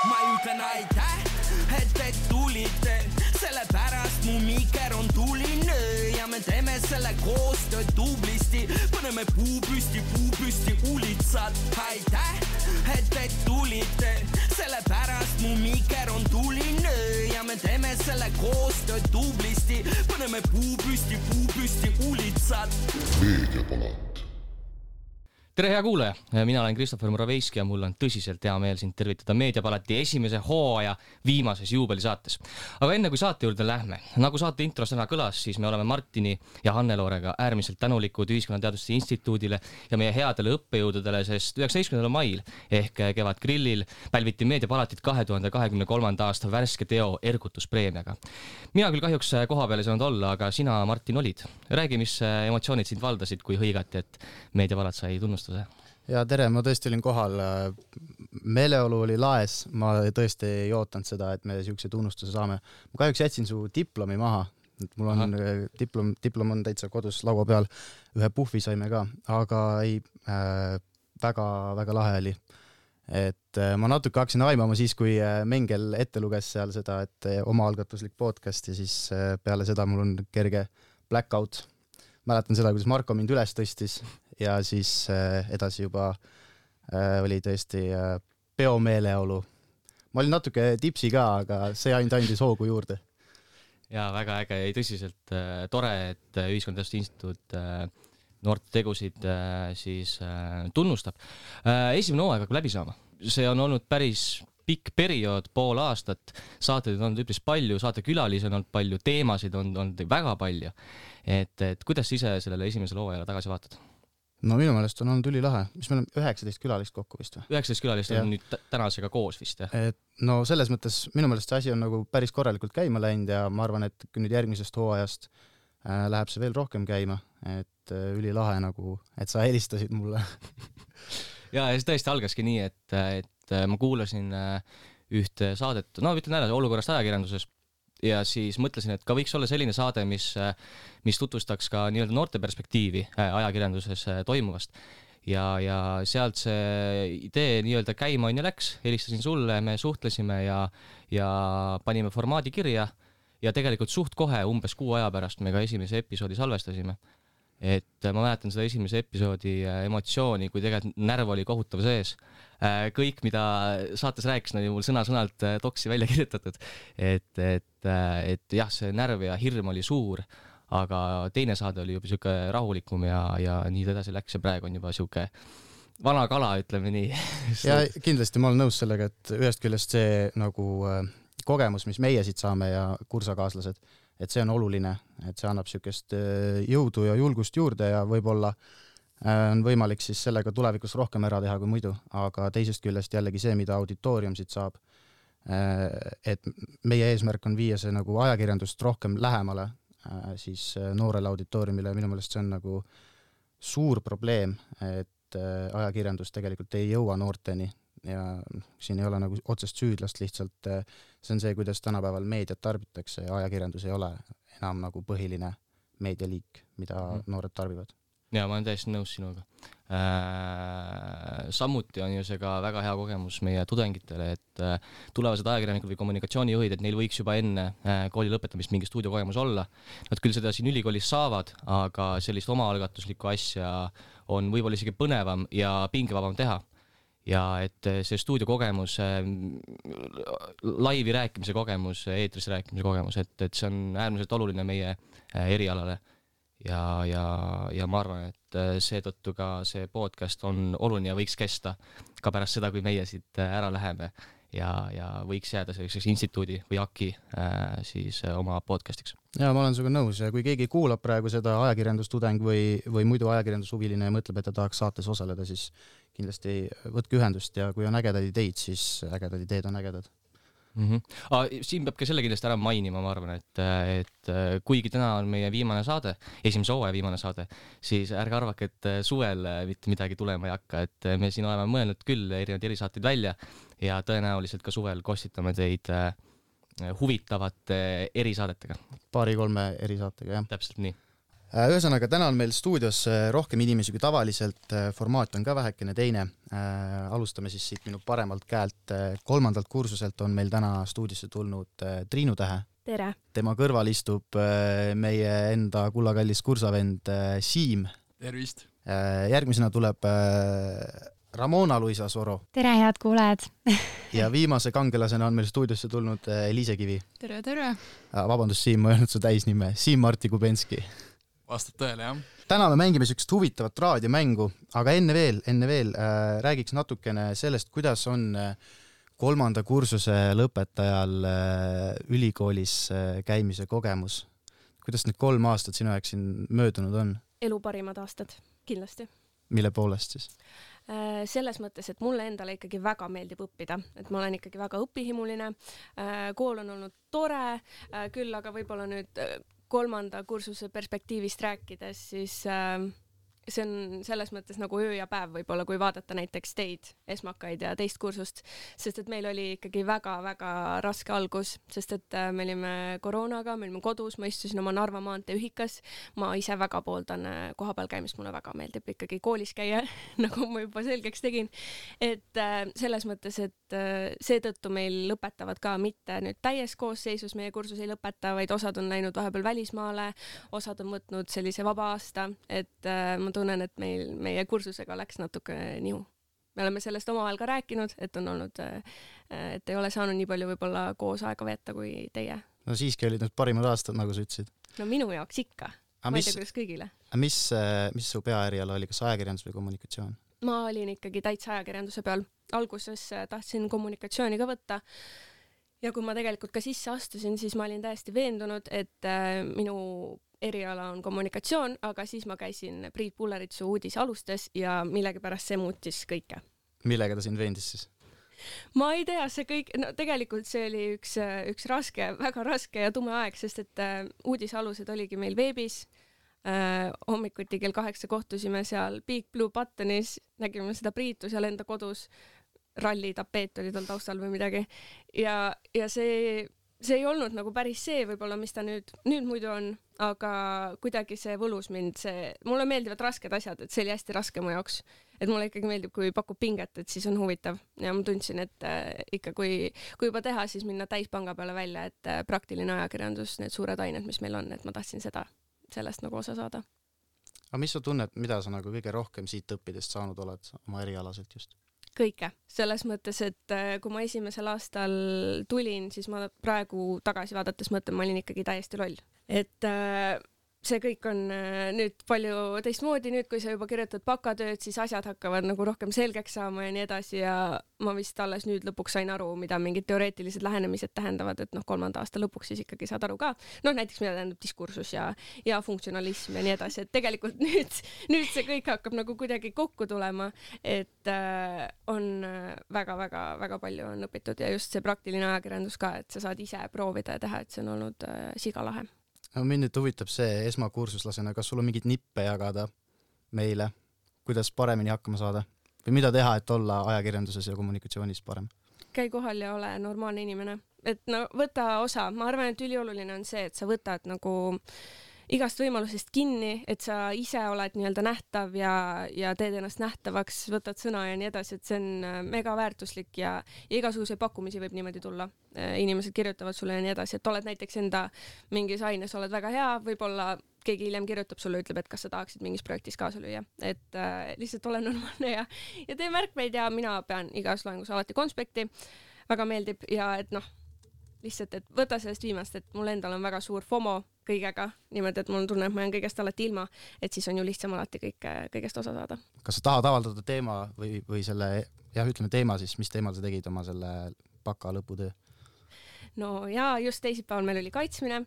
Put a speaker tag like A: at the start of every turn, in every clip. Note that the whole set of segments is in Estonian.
A: ma ütlen aitäh, et tulite, sellepärast mu miker on tuline ja me teeme selle koostööd tublisti, paneme puu püsti ulitsad. Aitäh, et tulite, sellepärast mu miker on tuline ja me teeme selle koostööd tublisti, paneme puu püsti ulitsad.
B: Meediapalat.
C: Tere hea kuulaja, mina olen Kristoffer Moraveiski ja mul on tõsiselt hea meel sind tervitada Meediapalati esimese hooaja viimases juubelisaates. Aga enne kui saate juurde lähme, nagu saate intros täna kõlas, siis me oleme Martini ja Hanne-Loorega äärmiselt tänulikud Ühiskonnateaduste Instituudile ja meie headele õppejõududele, sest 19. mail ehk Kevad grillil pälviti Meediapalatit 2023. aasta värske teo ergutuspreemiaga. Mina küll kahjuks koha peal ei saanud olla, aga sina, Martin, olid. Räägi, mis emotsioonid sind valdasid, kui hõigati, et Meediapalat sai tunnustada.
D: Ja tere, ma tõesti olin kohal. Meeleolu oli laes, ma tõesti ei ootanud seda, et me siukse tunnustuse saame. Ma kahjuks jätsin su diplomi maha. Mul on diplom on täitsa kodus laua peal. Ühe puhvi saime ka, aga ei, väga lahe oli. Et ma natuke hakkasin aimama siis, kui Mengel ette luges seal seda, et omaalgatuslik podcast ja siis peale seda mul on kerge blackout. Mäletan seda, kuidas Marko mind üles tõstis ja siis edasi juba oli tõesti peomeeleolu. Ma olin natuke tipsi ka, aga see ainult andis hoogu juurde.
C: Ja väga äge ja tõsiselt tore, et Ühiskonnateaduste Instituut noorte tegusid siis tunnustab. Esimene hooaeg hakkab läbi saama. See on olnud päris pikk periood, pool aastat. Saateid on olnud üpris palju, saatekülalisi on olnud palju, teemasid on olnud väga palju. Et kuidas ise sellele esimesele hooajale tagasi vaatad?
D: No minu meelest on olnud ülilahe. Mis meil on 19 külalist kokku vist või?
C: 19 külalist on nüüd tänasega koos vist, jah?
D: No selles mõttes minu meelest see asi on nagu päris korralikult käima läinud ja ma arvan, et nüüd järgmisest hooajast läheb see veel rohkem käima, et ülilahe nagu, et sa helistasid mulle.
C: Ja see tõesti algaski nii, et ma kuulasin ühte saadet, no ütlen ära, olukorrast ajakirjanduses ja siis mõtlesin, et ka võiks olla selline saade, mis tutvustaks ka nii-öelda noorte perspektiivi ajakirjanduses toimuvast. Ja sealt see idee nii-öelda käima on ja läks, helistasin sulle, me suhtlesime ja panime formaadi kirja ja tegelikult suht kohe umbes 6 aja pärast me ka esimese episoodi salvestasime. Et ma mäletan seda esimese episoodi emotsiooni, kui tegelikult närv oli kohutav sees. Kõik, mida saates rääkis, oli mul sõna-sõnalt toksi välja kirjutatud. Et jah, see närv ja hirm oli suur, aga teine saade oli juba siuke rahulikum ja nii edasi läks ja praegu on juba siuke vana kala, ütleme nii.
D: Ja kindlasti ma olen nõus sellega, et ühest küljest see nagu kogemus, mis meie siit saame ja kursakaaslased, et see on oluline, et see annab siukest jõudu ja julgust juurde ja võib-olla on võimalik siis sellega tulevikus rohkem ära teha kui muidu, aga teisest küljest jällegi see, mida auditoorium siit saab, et meie eesmärk on viia see nagu ajakirjandust rohkem lähemale siis noorele auditooriumile. Minu meelest see on nagu suur probleem, et ajakirjandus tegelikult ei jõua noorteni ja siin ei ole nagu otsest süüdlast, lihtsalt see on see, kuidas tänapäeval meediat tarbitakse ja ajakirjandus ei ole enam nagu põhiline meedialiik, mida noored tarbivad.
C: Ja ma olen täiesti nõus sinuga. Samuti on ju see ka väga hea kogemus meie tudengitele, et tulevased ajakirjanikud või kommunikatsioonijuhid, et neil võiks juba enne kooli lõpetamist mingi stuudiokogemus olla. Nad küll seda siin ülikoolis saavad, aga sellist omaalgatuslikku asja on võib-olla isegi põnevam ja pingevabam teha. Ja et see stuudiokogemus, laivi rääkimise kogemus, eetris rääkimise kogemus, et see on äärmiselt oluline meie erialale. Ja ma arvan, et seetõttu ka see podcast on oluline ja võiks kesta ka pärast seda, kui meie siit ära läheme ja võiks jääda selliseks instituudi või AKI siis oma podcastiks.
D: Ja ma olen sinuga nõus ja kui keegi kuulab praegu seda ajakirjandustudeng või muidu ajakirjandushuviline ja mõtleb, et ta tahaks saates osaleda, siis kindlasti võtke ühendust ja kui on ägedad ideid, siis ägedad ideed on ägedad.
C: Siin peab ka selle kindlasti ära mainima, ma arvan, et kuigi täna on meie viimane saade, esimese hooaja viimane saade, siis ärge arvake, et suvel mitte midagi tulema ei hakka, et me siin oleme mõelnud küll erinevaid erisaateid välja ja tõenäoliselt ka suvel kostitame teid huvitavate erisaadetega.
D: 2-3 erisaatega, jah.
C: Täpselt nii.
D: Ühesõnaga, täna on meil stuudios rohkem inimesi kui tavaliselt, formaat on ka vähekene teine. Alustame siis siit minu paremalt käelt. 3. kursuselt on meil täna stuudiosse tulnud Triinu Tähe.
B: Tere!
D: Tema kõrval istub meie enda kullakallis kursavend Siim.
E: Tervist!
D: Järgmisena tuleb Ramona Luisa Soro.
F: Tere, head kuulajad!
D: Ja viimase kangelasena on meil stuudiosse tulnud Liise Kivi.
G: Tere, tere!
D: Vabandust, Siim, ma ei öelnud su täisnime. Siim Marti Kubenski.
E: Vastab tõele, jah.
D: Täna me mängime sellist huvitavat raadiomängu, aga enne veel räägiks natukene sellest, kuidas on 3. kursuse lõpetajal ülikoolis käimise kogemus. Kuidas need 3 aastat sinu jaoks siin möödunud on?
B: Elu parimad aastad, kindlasti.
D: Mille poolest siis?
B: Selles mõttes, et mulle endale ikkagi väga meeldib õppida, et ma olen ikkagi väga õpihimuline. Kool on olnud tore, küll aga võib-olla nüüd 3. kursuse perspektiivist rääkides, siis see on selles mõttes nagu öö ja päev võib-olla, kui vaadata näiteks teid, esmakaid ja teist kursust, sest et meil oli ikkagi väga-väga raske algus, sest et me olime koroonaga, me olime kodus, ma istusin oma Narva maantee ühikas, ma ise väga pooldan kohapeal käimist, mulle väga meeldib ikkagi koolis käia, nagu ma juba selgeks tegin, et selles mõttes, et seetõttu meil lõpetavad ka mitte nüüd täies koosseisus, meie kursus ei lõpeta, vaid osad on läinud vahepeal välismaale, osad on võtnud sellise vaba aasta, et ma tunnen, et meie kursusega läks natuke nihu. Me oleme sellest omavahel ka rääkinud, et on olnud, et ei ole saanud nii palju võib-olla koos aega veeta kui teie.
D: No siiski olid need parimad aastad, nagu sa ütlesid.
B: No minu jaoks ikka. Ma ei tea, kuidas kõigile.
D: Mis su peaeriala oli, kas ajakirjandus või kommunikatsioon?
B: Ma olin ikkagi täitsa ajakirjanduse peal. Alguses tahtsin kommunikatsiooni ka võtta. Ja kui ma tegelikult ka sisse astusin, siis ma olin täiesti veendunud, et minu eriala on kommunikatsioon, aga siis ma käisin Priit Pulleritsu uudisalustes ja millegipärast see muutis kõike.
D: Millega ta sind veendis siis?
B: Ma ei tea, see kõik, no tegelikult see oli üks raske, väga raske ja tume aeg, sest et uudisalused oligi meil veebis. Hommikuti kell 8 kohtusime seal Big Blue Buttonis, nägime seda Priitu seal enda kodus, rallitapeet oli tal taustal või midagi ja see ei olnud nagu päris see võib-olla, mis ta nüüd muidu on, aga kuidagi see võlus mind, mulle meeldivad rasked asjad, et see oli hästi raske mu jaoks, et mulle ikkagi meeldib, kui pakub pinget, et siis on huvitav ja ma tundsin, et ikka kui juba teha, siis minna täispanga peale välja, et praktiline ajakirjandus, need suured ained, mis meil on, et ma tahtsin sellest nagu osa saada.
D: Aga mis sa tunned, mida sa nagu kõige rohkem siit õppidest saanud oled oma erialaselt just?
B: Kõike, selles mõttes, et kui ma esimesel aastal tulin, siis ma praegu tagasi vaadates mõtlen, ma olin ikkagi täiesti loll. Et see kõik on nüüd palju teistmoodi, nüüd kui sa juba kirjutad bakatööd, siis asjad hakkavad nagu rohkem selgeks saama ja nii edasi ja ma vist alles nüüd lõpuks sain aru, mida mingid teoreetilised lähenemised tähendavad, et 3. aasta lõpuks siis ikkagi saad aru ka. Näiteks mida tähendab diskursus ja funktsionalism ja nii edasi, et tegelikult nüüd see kõik hakkab nagu kuidagi kokku tulema, et on väga palju on õpitud ja just see praktiline ajakirjandus ka, et sa saad ise proovida ja teha, et see on olnud sigalahe.
D: No, mind nüüd huvitab see esmakursuslasena, kas sul on mingid nippe jagada meile, kuidas paremini hakkama saada või mida teha, et olla ajakirjanduses ja kommunikatsioonis parem?
B: Käi kohal ja ole normaalne inimene, et võta osa, ma arvan, et ülioluline on see, et sa võtad nagu igast võimalusest kinni, et sa ise oled nii-öelda nähtav ja teed ennast nähtavaks, võtad sõna ja nii edasi, et see on mega väärtuslik ja igasuguseid pakkumisi võib niimoodi tulla. Inimesed kirjutavad sulle ja nii edasi, et oled näiteks enda mingis aines, oled väga hea, võib-olla keegi hiljem kirjutab sulle, ütleb, et kas sa tahaksid mingis projektis kaasa lüüa, et lihtsalt ole normaalne ja tee märkmeid ja mina pean igas loengus alati konspekti, väga meeldib ja et lihtsalt, et võta sellest viimast, et mul endal on väga suur FOMO kõigega, niimoodi, et mul tunne, et ma olen kõigest alati ilma, et siis on ju lihtsam alati kõigest osa saada.
D: Kas sa tahad avaldada teema või selle, ütleme teema siis, mis teemal sa tegid oma selle baka lõputöö?
B: No ja just teisipäeval meil oli kaitsmine,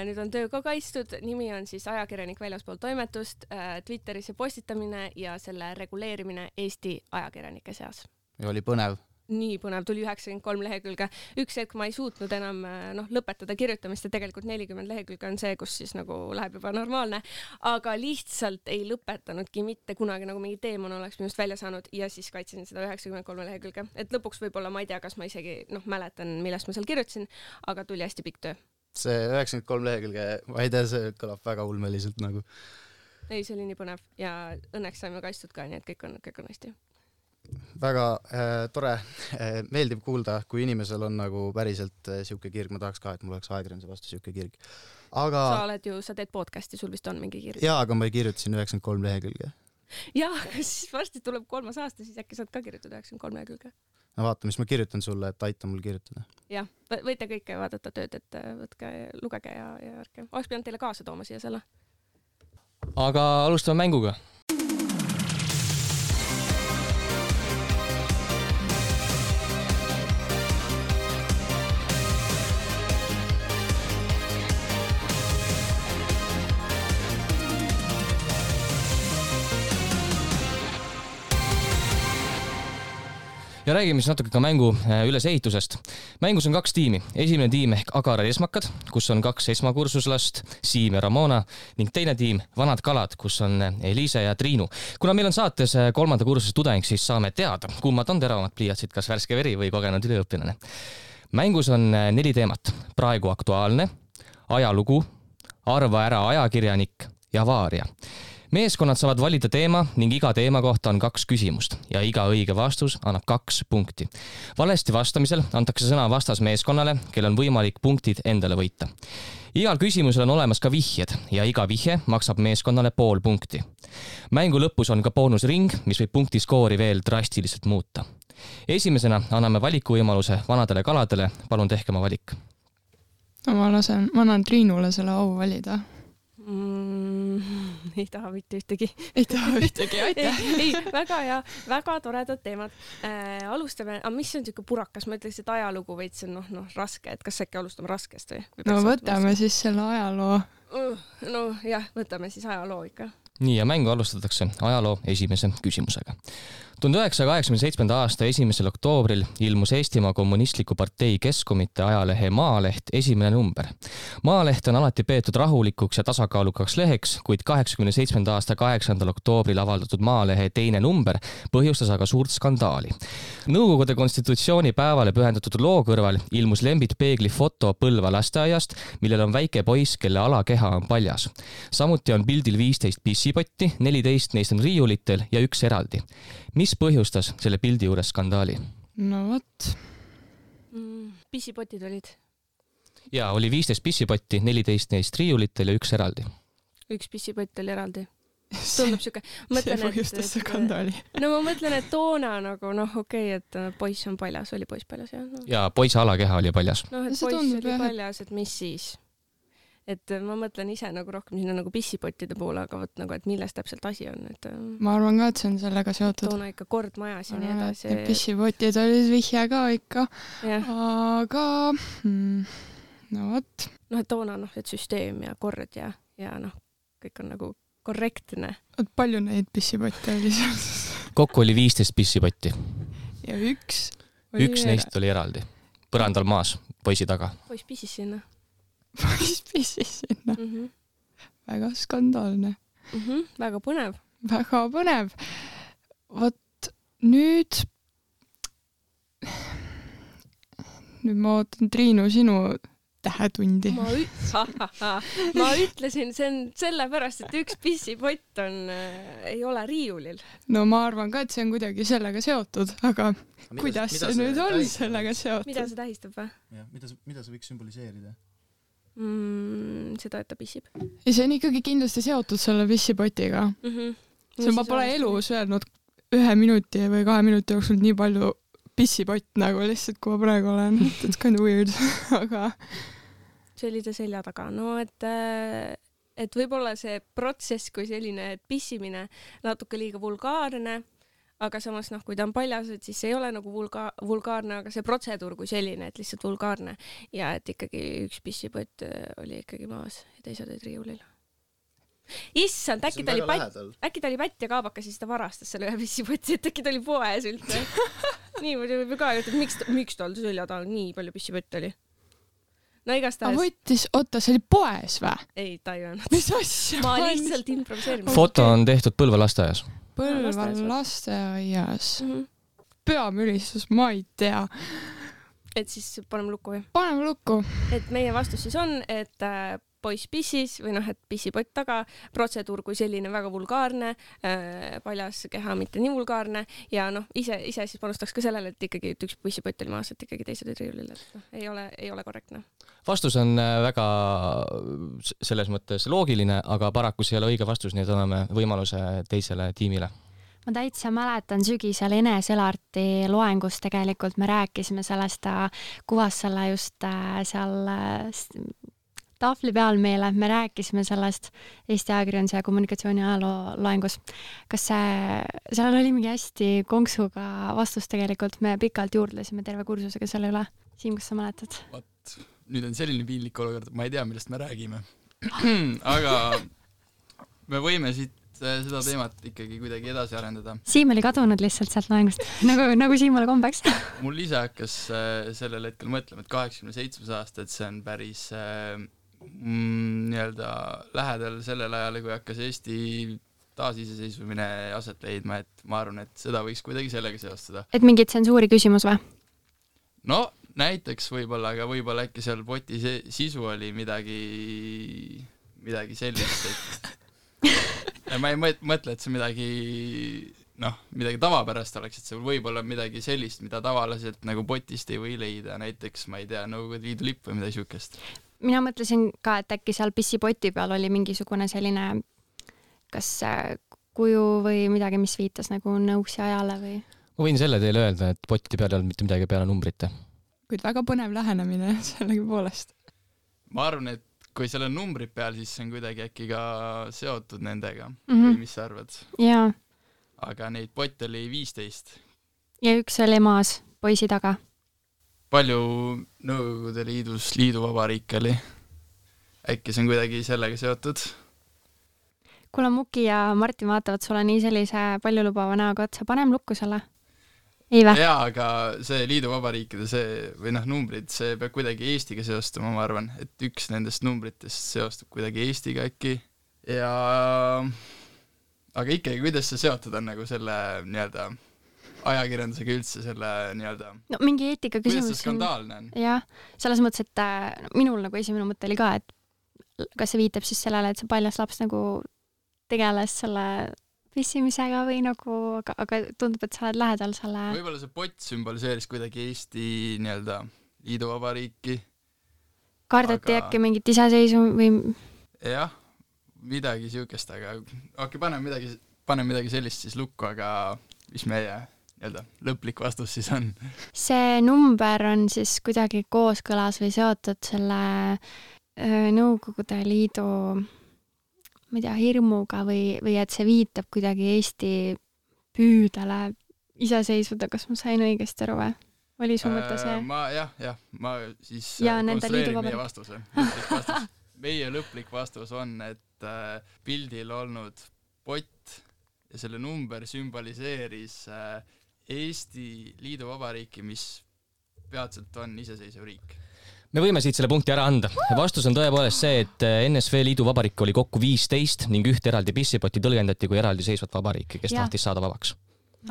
B: nüüd on töö ka kaitstud, nimi on siis ajakirjanik väljaspool toimetust, Twitteris postitamine ja selle reguleerimine Eesti ajakirjanike seas.
D: Ja oli põnev?
B: Nii põnev, tuli 93 lehekülge. Üks hetk ma ei suutnud enam lõpetada kirjutamist ja tegelikult 40 lehekülge on see, kus siis nagu läheb juba normaalne, aga lihtsalt ei lõpetanudki mitte kunagi nagu mingi teemon oleks minust välja saanud ja siis kaitsin seda 93 lehekülge. Et lõpuks võib-olla ma ei tea, kas ma isegi mäletan, millest ma seal kirjutasin, aga tuli hästi pikk töö.
D: see 93 lehekülge, ma ei tea, see kõlab väga ulmeliselt nagu.
B: Ei, see oli nii põnev ja õnneks saime kaitstud ka, nii et kõik on hästi.
D: Väga tore, meeldib kuulda, kui inimesel on nagu päriselt siuke kirg, ma tahaks ka, et mul oleks ajakirjanduse vastu siuke kirg. Aga...
B: sa teed podcasti, sul vist on mingi kirg.
D: Jaa, aga ma ei kirjutasin 93 lehekülge.
B: Jaa, aga siis varsti tuleb 3. aasta, siis äkki saad ka kirjutada 93 lehekülge.
D: No vaata, mis ma kirjutan sulle, et aita mul kirjutada.
B: Jah, võite kõike vaadata tööd, et võtke, lugege ja ärge. Oleks pidanud teile kaasa tooma siia selle.
C: Aga alustame mänguga. Ja räägime siis natuke ka mängu ülesehitusest. Mängus on 2 tiimi. Esimene tiim ehk Agarad esmakad, kus on 2 esmakursuslast, Siim ja Ramona, ning teine tiim Vanad kalad, kus on Eliise ja Triinu. Kuna meil on saates 3. kursuse tudeng, siis saame teada, kummad on teravamad pliiatsid, kas värske veri või kogenud üliõpilane. Mängus on 4 teemat. Praegu aktuaalne, ajalugu, arva ära ajakirjanik ja avaaria. Meeskonnad saavad valida teema ning iga teema kohta on 2 küsimust ja iga õige vastus annab 2 punkti. Valesti vastamisel antakse sõna vastasmeeskonnale, kel on võimalik punktid endale võita. Igal küsimusel on olemas ka vihjed ja iga vihje maksab meeskonnale 0,5 punkti. Mängu lõpus on ka boonusring, mis võib punktiskoori veel drastiliselt muuta. Esimesena anname valikuvõimaluse vanadele kaladele, palun tehke oma valik.
F: No, ma annan Triinule selle au valida.
B: Ei taha mitte ühtegi.
F: Aitäh.
B: Ei, väga hea, väga toredad teemad. Alustame, mis on siuke purakas? Ma ütleks, et ajalugu veits on raske, et kas äkki alustame raskest või?
F: No võtame siis selle ajaloo.
B: No jah, võtame siis ajaloo ikka.
C: Nii, ja mängu alustatakse ajaloo esimese küsimusega. 1987. aasta 1. oktoobril ilmus Eestimaa Kommunistliku partei Keskkomitee ajalehe Maaleht esimene number. Maaleht on alati peetud rahulikuks ja tasakaalukaks leheks, kuid 87. aasta 8. oktoobril avaldatud Maalehe teine number põhjustas aga suurt skandaali. Nõukogude konstitutsiooni päevale pühendatud loo kõrval ilmus Lembit Peegli foto Põlva lasteaiast, millel on väike poiss, kelle alakeha on paljas. Samuti on pildil 15 pissipotti, 14 neist on riiulitel ja 1 eraldi. Mis põhjustas selle pildi juures skandaali?
F: No võt.
B: Pissipotid olid?
C: Jaa, oli 15 pissipotti, 14 neist riiulitel ja 1 eraldi.
B: 1 pissipott oli eraldi. Tundub siuke.
F: See põhjustas skandaali.
B: No ma mõtlen, et toona nagu okei, et poiss on paljas, oli poiss paljas, jah?
C: Ja poiss alakeha oli paljas.
B: No, et poiss oli paljas, et mis siis? Et ma mõtlen ise nagu rohkem sinna nagu pissipottide poole, aga võt nagu, et milles täpselt asi on. Et,
F: ma arvan ka, et see on sellega seotud.
B: Toona ikka kord majas ja nii edasi.
F: Pissipotid olid vihje ka ikka. Aga no võt.
B: Et toona et süsteem ja kord ja kõik on nagu korrektne.
F: Palju neid pissipotte oli seal?
C: Kokku oli 15 pissipotti.
F: Ja 1
C: neist oli eraldi. Põrandal maas, poisi taga.
B: Poiss pissis sinna.
F: Poiss pissis sinna. Väga skandaalne.
B: Väga põnev.
F: Väga põnev. Vot nüüd ma ootan Triinu sinu tähetundi.
B: Ma ütlesin, see on sellepärast, et 1 pissipott ei ole riiulil.
F: No ma arvan ka, et see on kuidagi sellega seotud, aga kuidas see nüüd on sellega seotud?
B: Mida see tähistab või?
D: Mida see võiks sümboliseerida?
B: Seda, et ta pissib.
F: Ja see on ikkagi kindlasti seotud selle pissipotiga. See ma pole elus öelnud 1 minuti või 2 minuti jooksul nii palju pissipott nagu lihtsalt, kui ma praegu olen. It's kind of weird, aga...
B: See oli ta selja taga. No, et võib-olla see protsess kui selline pissimine natuke liiga vulgaarne, aga samas kui ta on paljas, et siis ei ole nagu vulgaarne, aga see protseduur kui selline, et lihtsalt vulgaarne ja et ikkagi 1 pissipott oli ikkagi maas ja teised olid riiulil. Issand, äkki ta oli pätt ja kaabakas ja siis ta varastas selle 1 pissipoti, et äkki ta oli poes üldse. Nii võib ka öelda, et miks tal selja taga nii palju pissipott oli? No igastahes.
F: Võttis, see oli poes või?
B: Ei, ta ei öelnud.
F: Mis asja?
B: Ma lihtsalt improviseerin.
C: Foto on tehtud Põlva lasteaias.
F: Põlva lasteaias. Peamülistus, ma ei tea.
B: et siis paneme lukku või?
F: Paneme lukku.
B: Et meie vastus siis on, et poiss pissis või et pissipott taga, protseduur kui selline väga vulgaarne, paljas keha mitte nii vulgaarne ja ise siis panustaks ka sellele, et ikkagi üks pissipott oli maas, et ikkagi teised olid riiulil, et ei ole korrektne.
C: Vastus on väga selles mõttes loogiline, aga paraku see ei ole õige vastus, nii et anname võimaluse teisele tiimile.
G: Ma täitsa mäletan sügisel Ene Selarti loengus tegelikult me rääkisime sellest, ta kuvas selle just seal tahvli peal meile, me rääkisime sellest Eesti ajakirjanduse ja kommunikatsiooni ajaloo loengus. Kas seal oli mingi hästi konksuga vastus tegelikult, me pikalt juurdlesime terve kursusega selle üle. Siim, kas sa mäletad?
E: Nüüd on selline piinlik olukord, ma ei tea, millest me räägime. Aga me võime siit seda teemat ikkagi kuidagi edasi arendada.
G: Siim oli kadunud lihtsalt sealt loengust, nagu Siimule kombeks.
E: Mul ise hakkas sellel hetkel mõtlema, et 87 aasta, et see on päris nii-öelda lähedal sellel ajal, kui hakkas Eesti taasiseseisvumine aset leidma, et ma arvan, et seda võiks kuidagi sellega seostada. Et
G: mingi tsensuuri küsimus või?
E: No, näiteks võib-olla, aga võib-olla äkki seal poti sisu oli midagi sellist, et ma ei mõtle, et see midagi tavapärast oleks, et see võib olla midagi sellist, mida tavaliselt nagu potist ei või leida, näiteks, ma ei tea, Nõukogude Liidu lipp või midagi siukest.
G: Mina mõtlesin ka, et äkki seal pissipoti peal oli mingisugune selline kas kuju või midagi, mis viitas nagu nõuksi ajale või?
C: Ma võin selle teile öelda, et poti peal ei olnud mitte midagi peale numbrite.
F: Kuid väga põnev lähenemine sellegi poolest.
E: Ma arvan, et kui seal on numbrid peal, siis see on kuidagi äkki ka seotud nendega. Või mis sa arvad?
G: Jaa.
E: Aga neid potte oli 15.
G: Ja üks oli maas poisi taga.
E: Palju Nõukogude Liidus liiduvabariik oli? Äkki see on kuidagi sellega seotud?
G: Kuule, Muki ja Martin vaatavad sulle nii sellise paljulubava näoga otsa. Panem lukku selle? Ei vä?
E: Jaa, aga see liiduvabariikide või numbrid, see peab kuidagi Eestiga seostuma, ma arvan, et üks nendest numbritest seostub kuidagi Eestiga äkki. Aga ikkagi, kuidas see seotud on nagu selle nii-öelda ajakirjandusega üldse selle nii-öelda...
G: No mingi eetika küsimus.
E: Kuidas see skandaalne on?
G: Jah, selles mõttes, et minul nagu esimene mõte oli ka, et kas see viitab siis sellele, et see paljas laps nagu tegeles selle pissimisega või nagu, aga tundub, et sa oled lähedal selle...
E: Võib-olla see pott sümboliseeris kuidagi Eesti nii-öelda liiduvabariiki.
G: Kardati äkki mingit iseseisu või...
E: Jah, midagi siukest, aga paneme midagi sellist siis lukku, aga mis meie lõplik vastus siis on?
G: See number on siis kuidagi kooskõlas või seotud selle Nõukogude Liidu ma ei tea, hirmuga või et see viitab kuidagi Eesti püüdele iseseisvuda, kas ma sain õigesti aru või? Oli su mõte see?
E: Ma siis konstrueerin meie vastuse. Meie lõplik vastus on, et pildil olnud pott ja selle number sümboliseeris Eesti liiduvabariiki, mis peatselt on iseseisev riik.
C: Me võime siit selle punkti ära anda. Vastus on tõepoolest see, et NSV liiduvabariik oli kokku 15 ning ühte eraldi pissipoti tõlgendati kui eraldi seisvat vabariiki, kes tahtis saada vabaks.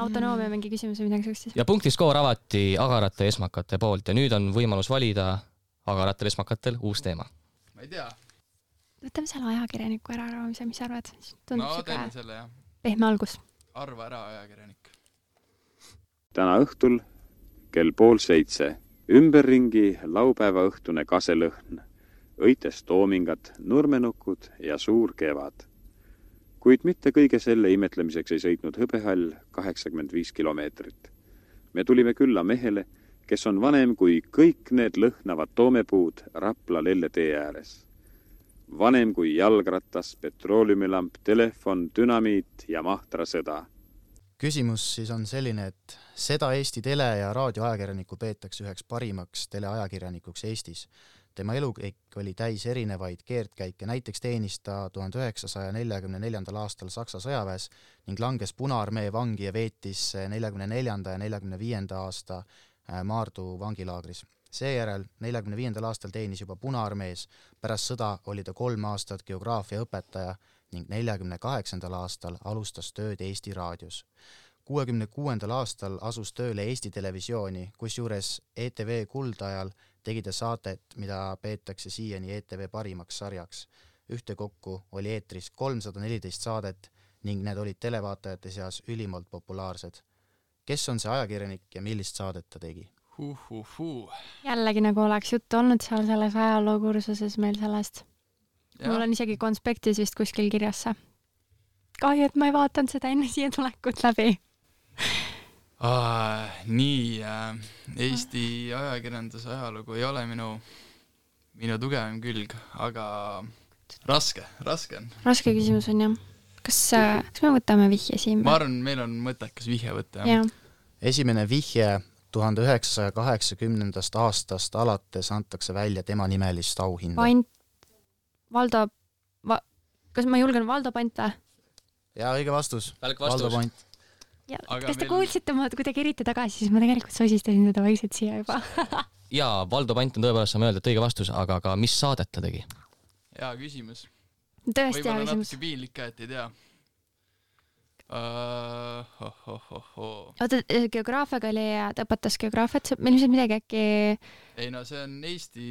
G: Autonoomia mingi küsimus või midagi sellist.
C: Ja punktiskoor avati agarate esmakate poolt ja nüüd on võimalus valida agaratel esmakatel uus teema.
E: Ma ei tea.
G: Võtame selle ajakirjaniku ära arvamise, mis arvad?
E: Teeme selle, jah.
G: Pehme algus.
E: Arva ära ajakirjanik.
H: Täna õhtul kell 6:30 ümberringi laupäeva õhtune kaselõhn, õites toomingad, nurmenukud ja suur kevad. Kuid mitte kõige selle imetlemiseks ei sõitnud hõbehall 85 kilomeetrit. Me tulime külla mehele, kes on vanem kui kõik need lõhnavad toomepuud Rapla Lelletee ääres. Vanem kui jalgratas, petrooleumlamp, telefon, dünamiit ja mahtrasõda.
D: Küsimus siis on selline, et seda Eesti tele- ja raadioajakirjanikku peetakse üheks parimaks teleajakirjanikuks Eestis. Tema elukäik oli täis erinevaid keerdkäike, näiteks teenis ta 1944. aastal Saksa sõjaväes ning langes Punaarmee vangi ja veetis 44. ja 45. aasta Maardu vangilaagris. Seejärel 45. aastal teenis juba Punaarmees, pärast sõda oli ta 3 aastat geograafia õpetaja ning 48. aastal alustas tööd Eesti raadios. 1966. aastal asus tööle Eesti Televisiooni, kusjuures ETV kuldajal tegi ta saadet, mida peetakse siiani ETV parimaks sarjaks. Ühtekokku oli eetris 314 saadet ning need olid televaatajate seas ülimalt populaarsed. Kes on see ajakirjanik ja millist saadet ta tegi?
G: Jällegi nagu oleks juttu olnud seal selles ajalookursuses meil sellest. Mul on isegi konspektis vist kuskil kirjas see. Kahju, et ma ei vaatanud seda enne siia tulekut läbi.
E: Eesti ajakirjanduse ajalugu ei ole minu tugevam külg, aga raske on. Raske
G: küsimus on jah. Kas me võtame vihje siin?
E: Ma arvan, meil on mõttekas vihje võtta. Ja.
D: Esimene vihje 1980. aastast alates antakse välja tema nimelist auhinda.
G: Kas ma julgen Valdo Pant või?
D: Jaa, õige vastus.
C: Valdo Pant.
G: Kas te kuulsite ma kuidagi eriti tagasi, siis ma tegelikult sosistasin seda vaikselt siia juba.
C: Jaa, Valdo Pant on tõepoolest, saame öelda, et õige vastus, aga ka mis saadet ta tegi?
E: Jaa, küsimus.
G: Tõesti hea
E: küsimus.
G: Võib-olla
E: natuke piinlik ka, et ei tea.
G: Oota, geograafiaga oli ja ta õpetas geograafiat, meil ilmselt midagi äkki...
E: Ei no, see on Eesti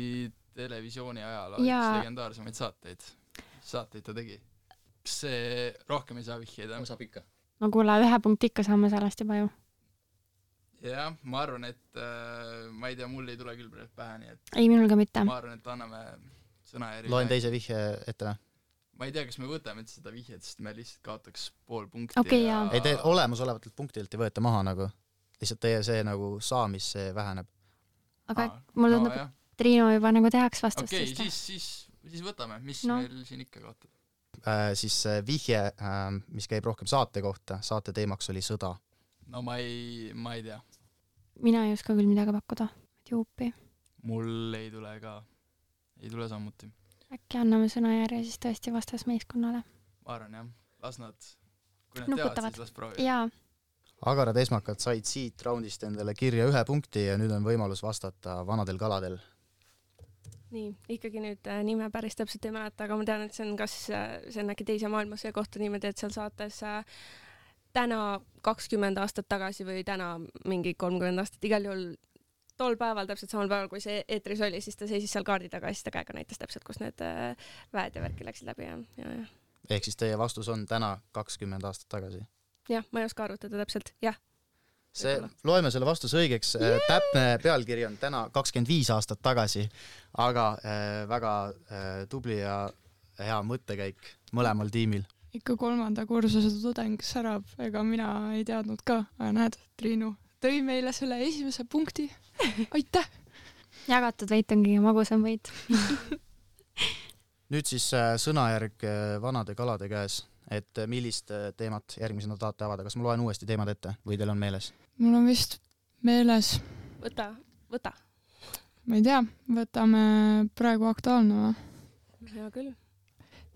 E: Televisiooni ajal üks legendaarsemaid saateid ta tegi. Kas see rohkem ei saa vihjeid?
C: Ma saab ikka.
G: No kuule, 1 punkt ikka saame sellest juba ju.
E: Jah, ma arvan, et ma ei tea, mul ei tule küll praegu pähe, nii et...
G: Ei, minul ka mitte.
E: Ma arvan, et anname sõnajärgi.
D: Loen teise vihje ette või?
E: Ma ei tea, kas me võtame seda vihjet, sest me lihtsalt kaotaks pool punkti.
G: Okay, ja...
D: Ei, te olemasolevatelt punktilt ei võeta maha nagu. Lihtsalt teie see nagu saamis see väheneb.
G: Aga mul tundub, et Triinu juba nagu tehaks vastust.
E: Okei, siis võtame. Mis meil siin ikka kaotab?
D: Siis vihje, mis käib rohkem saate kohta. Saate teemaks oli sõda.
E: No ma ei tea.
G: Mina ei oska küll midagi pakkuda. Juupi.
E: Mul ei tule sammuti.
G: Äkki anname sõnajärje siis tõesti vastas meeskonnale.
E: Ma arvan jah, las nad, kui nad teavad, siis las proovivad.
G: Jaa.
D: Agarad esmakad said siit raundist endale kirja 1 punkti ja nüüd on võimalus vastata vanadel kaladel.
B: Nii, ikkagi nüüd nime päris täpselt ei mäleta, aga ma tean, et see on äkki teise maailmasõja kohta niimoodi, et seal saates täna 20 aastat tagasi või täna mingi 30 aastat igal juhul tol päeval, täpselt samal päeval, kui see eetris oli, siis ta seisis seal kaardi taga ja siis ta käega näitas täpselt, kus need väed ja värki läksid läbi. Ja.
D: Ehk siis teie vastus on täna 20 aastat tagasi?
B: Jah, ma ei oska arvutada täpselt, jah.
D: Loeme selle vastuse õigeks. Täpne pealkiri on täna 25 aastat tagasi, aga väga tubli ja hea mõttekäik mõlemal tiimil.
F: Ikka 3. kursuse tudeng särab, ega mina ei teadnud ka, aga näed, Triinu tõi meile selle esimese punkti. Aitäh!
G: Jagatud võit on kõige magusam võit.
D: Nüüd siis sõnajärg vanade kalade käes, et millist teemat järgmisena tahate avada. Kas ma loen uuesti teemad ette või teil on meeles?
F: Mul on vist meeles.
B: Võta.
F: Ma ei tea, võtame praegu aktuaalne või?
B: Hea küll.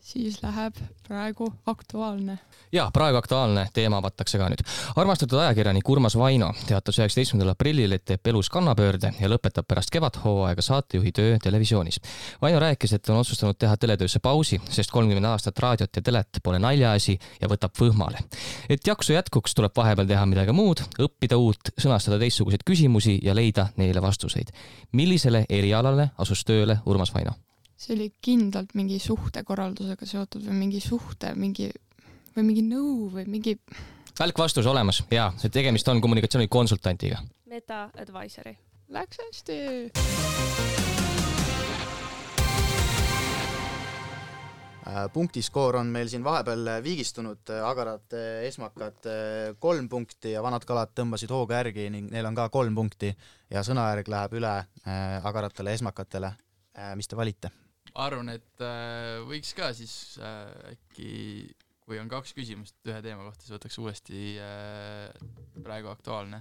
F: Siis läheb praegu aktuaalne.
C: Jaa, praegu aktuaalne teema avatakse ka nüüd. Armastatud ajakirjanik Urmas Vaino teatas 19. aprillil, et teeb elus kannapöörde ja lõpetab pärast kevadhooaega saatejuhi töö televisioonis. Vaino rääkis, et on otsustanud teha teletöösse pausi, sest 30 aastat raadiot ja telet pole naljaasi ja võtab võhmale. Et jaksu jätkuks tuleb vahepeal teha midagi muud, õppida uut, sõnastada teistsuguseid küsimusi ja leida neile vastuseid. Millisele erialale asus tööle Urmas Vaino?
F: See oli kindlalt mingi suhtekorraldusega seotud või mingi nõu või mingi...
C: Välk vastus olemas, jaa, see tegemist on kommunikatsioonikonsultantiga.
B: Meta Advisory.
F: Läks hästi!
D: Punktiskoor on meil siin vahepeal viigistunud, agarad esmakad 3 punkti ja vanad kalad tõmbasid hooga järgi ning neil on ka 3 punkti ja sõnajärg läheb üle agaratele esmakatele. Mis te valite?
E: Arvan, et võiks ka siis äkki, kui on 2 küsimust ühe teema kohta, siis võtaks uuesti praegu aktuaalne.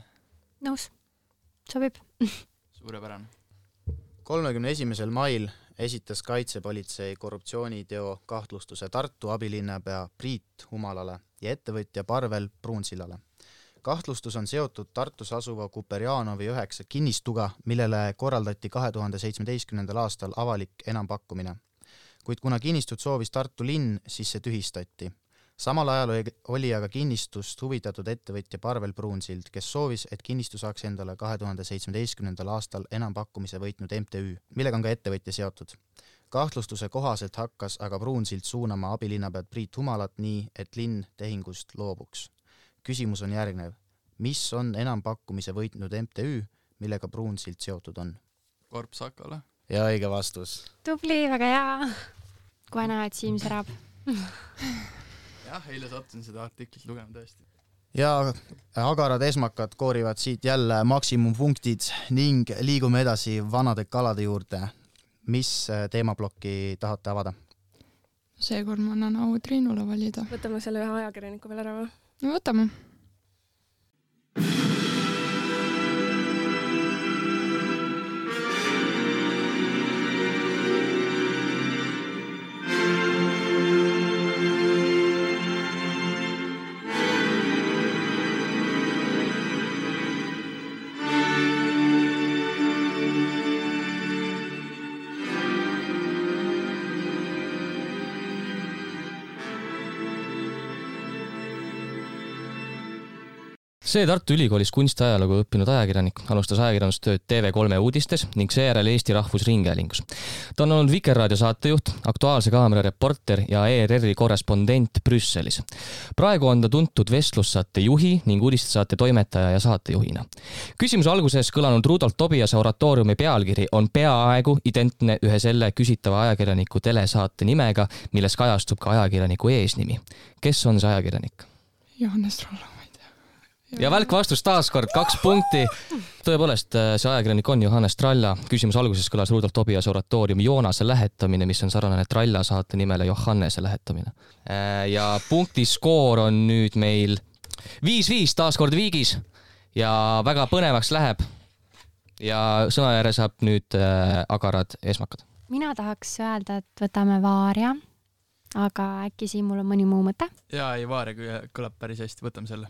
G: Nõus. Sobib.
E: Suurepärane.
D: 31. mail esitas kaitsepolitsei korruptsiooniteo kahtlustuse Tartu abilinnapea Priit Humalale ja ettevõtja Parvel Pruunsillale. Kahtlustus on seotud Tartus asuva Kuperjanovi 9 kinnistuga, millele korraldati 2017. aastal avalik enampakkumine. Kuid kuna kinnistut soovis Tartu linn, siis see tühistati. Samal ajal oli aga kinnistust huvitatud ettevõtja Parvel Pruunsild, kes soovis, et kinnistu saaks endale 2017. aastal enampakkumise võitnud MTÜ, millega on ka ettevõtja seotud. Kahtlustuse kohaselt hakkas aga Pruunsild suunama abilinnapead Priit Humalat nii, et linn tehingust loobuks. Küsimus on järgnev. Mis on enampakkumise võitnud MTÜ, millega Pruunsild seotud on?
E: Korp Sakala.
D: Ja õige vastus.
G: Tubli, väga hea. Kohe näha, et Siim särab.
E: Jah, eile sattusin seda artiklit lugema tõesti.
D: Ja agarad esmakad koorivad siit jälle maksimumpunktid ning liigume edasi vanade kalade juurde. Mis teemaplokki tahate avada?
F: Seekord ma annan au Triinule valida.
B: Võtame selle ühe ajakirjaniku veel ära või?
F: No võtame.
C: See Tartu Ülikoolis kunstiajalugu õppinud ajakirjanik alustas ajakirjandustööd TV3 uudistes ning seejärel Eesti Rahvusringhäälingus. Ta on olnud Vikerraadio saatejuht, Aktuaalse Kaamera reporter ja ERR-i korrespondent Brüsselis. Praegu on ta tuntud vestlussaate juhi ning uudistesaate toimetaja ja saatejuhina. Küsimuse alguses kõlanud Rudolf Tobiase oratooriumi pealkiri on peaaegu identne ühe selle küsitava ajakirjaniku telesaate nimega, milles kajastub ka ajakirjaniku eesnimi. Kes on see ajakirjanik?
F: Johannes Tralla.
C: Ja välk vastus taaskord 2 punkti. Tõepoolest, see ajakirjanik on Johannes Tralla. Küsimus alguses kõlas Rudolf Tobiase oratooriumi Joonase lähetamine, mis on sarnane Tralla saate nimele Johannese lähetamine. Ja punktiskoor on nüüd meil 5-5 taaskord viigis ja väga põnevaks läheb. Ja sõnajärje saab nüüd agarad esmakad.
G: Mina tahaks öelda, et võtame Vaaria, aga äkki siin mul on mõni muu mõte?
E: Jaa, ei, Vaaria kõlab päris hästi, võtame selle.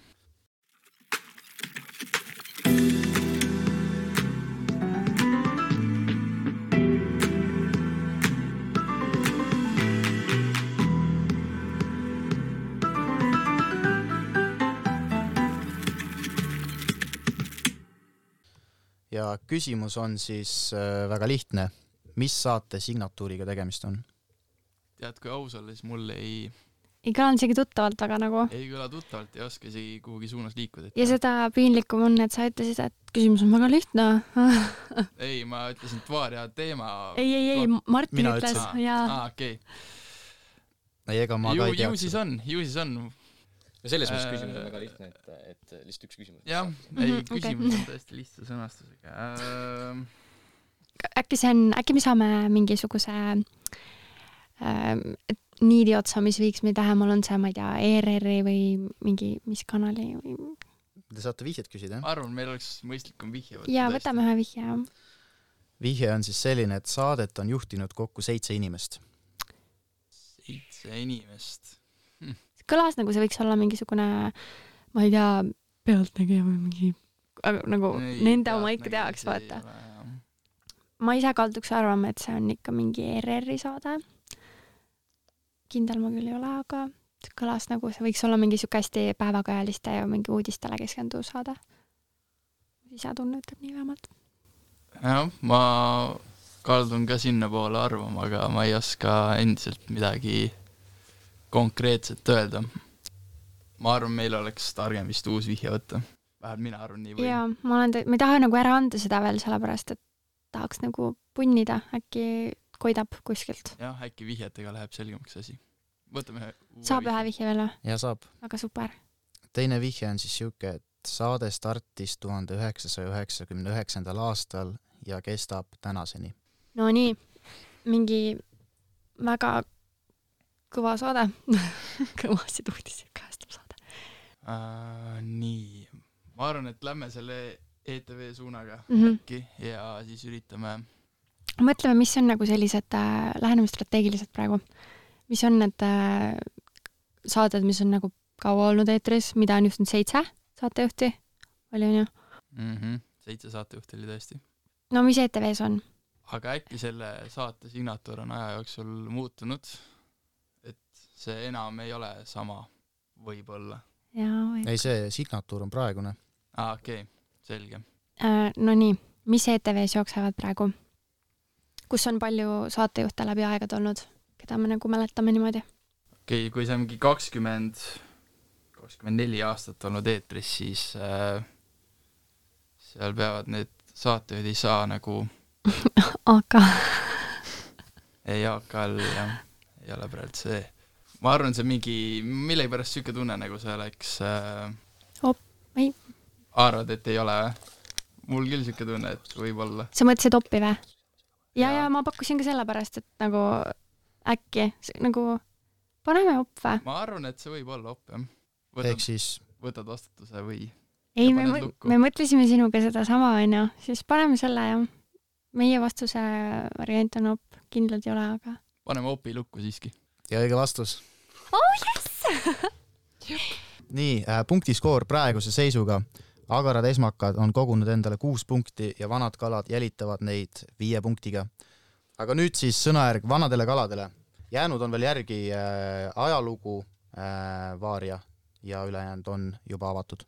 D: Ja küsimus on siis väga lihtne. Mis saate signatuuriga tegemist on?
E: Tead, kui aus olla, siis mul ei
G: kõlan isegi tuttavalt, aga nagu
E: ei kõla tuttavalt, ei oska isegi kuhugi suunas liikuda.
G: Ja seda piinlikum on, et sa ütlesid, et küsimus on väga lihtne.
E: Ei, ma ütlesin Vaaria teema.
G: Ei, Martin ütles.
E: Okei.
D: Ega ma ka ei
E: teaks. Ju siis on.
C: Ja selles mõttes küsimus on väga lihtne, et lihtsalt üks küsimus.
E: Jah, ei, küsimus on tõesti lihtsa sõnastusega.
G: Äkki me saame mingisuguse niidi otsa, mis viiks meid lähemal, on see, ma ei tea, ERR-i või mingi, mis kanali?
D: Te saate vihjet küsida, jah?
E: Ma arvan, meil oleks mõistlikum vihje võtta.
G: Jaa, võtame ühe vihje.
D: Vihje on siis selline, et saadet on juhtinud kokku 7 inimest.
E: 7 inimest?
G: Kõlas nagu see võiks olla mingisugune, ma ei tea, pealtnägija või mingi, nagu nende oma ikka teaks, vaata. Ma ise kalduks arvama, et see on ikka mingi ERR-i saade. Kindel ma küll ei ole, aga kõlas nagu see võiks olla mingi hästi päevakajaliste ja mingi uudistele keskendu saade. Ise tunnetab nii vähemalt.
E: Jah, ma kaldun ka sinna poole arvama, aga ma ei oska endiselt midagi konkreetselt öelda. Ma arvan, meil oleks targem vist uus vihje võtta. Vähemalt mina arvan nii või.
G: Jaa, ma ei taha nagu ära anda seda veel, sellepärast, et tahaks nagu punnida, äkki koidab kuskilt.
E: Jah, äkki vihjetega läheb selgemaks asi. Võtame
G: saab ühe vihje veel või?
D: Ja saab.
G: Väga super.
D: Teine vihje on siis siuke, et saade startis 1999. aastal ja kestab tänaseni.
G: No nii, mingi väga kõva saade. Kõvasid uudiseid kajastab saade.
E: Nii. Ma arvan, et lähme selle ETV suunaga äkki ja siis üritame.
G: Mõtleme, mis on nagu sellised lähenemisstrateegilised praegu. Mis on need saated, mis on nagu kaua olnud eetris, mida on just nüüd 7 saatejuhti? Oli on ju?
E: 7 saatejuhti oli tõesti.
G: No mis ETVs on?
E: Aga äkki selle saate signatuur on aja jooksul muutunud, et see enam ei ole sama võib-olla.
D: ei, see signatuur on praegune.
E: Okei, selge.
G: No nii, mis ETV-s jooksevad praegu? Kus on palju saatejuhte läbi aegad olnud, keda me nagu mäletame niimoodi?
E: Okei, kui see on mingi 24 aastat olnud eetris, siis seal peavad need saatejuhid ei saa nagu
G: aga
E: ei AK-l jah, ei ole praegu see. Ma arvan, see mingi, mille pärast siuke tunne nagu see oleks
G: ei.
E: Arvad, et ei ole või? Mul küll siuke tunne, et võib-olla.
G: Sa mõtlesid oppi või? Ja ma pakkusin ka selle pärast, et nagu äkki nagu paneme opp või?
E: Ma arvan, et see võib olla opp, jah.
D: Ehk siis
E: võtad vastutuse või?
G: Ei, me mõtlesime sinuga seda sama, onju. Siis paneme selle ja meie vastuse variant on opp. Kindlalt ei ole, aga...
E: Paneme opi lukku siiski.
D: Ja õige vastus.
G: Oh, yes!
D: Nii, punktiskoor praeguse seisuga. Agarad esmakad on kogunud endale 6 punkti ja vanad kalad jälitavad neid 5 punktiga. Aga nüüd siis sõnajärg vanadele kaladele. Jäänud on veel järgi ajalugu, vaaria ja ülejäänud on juba avatud.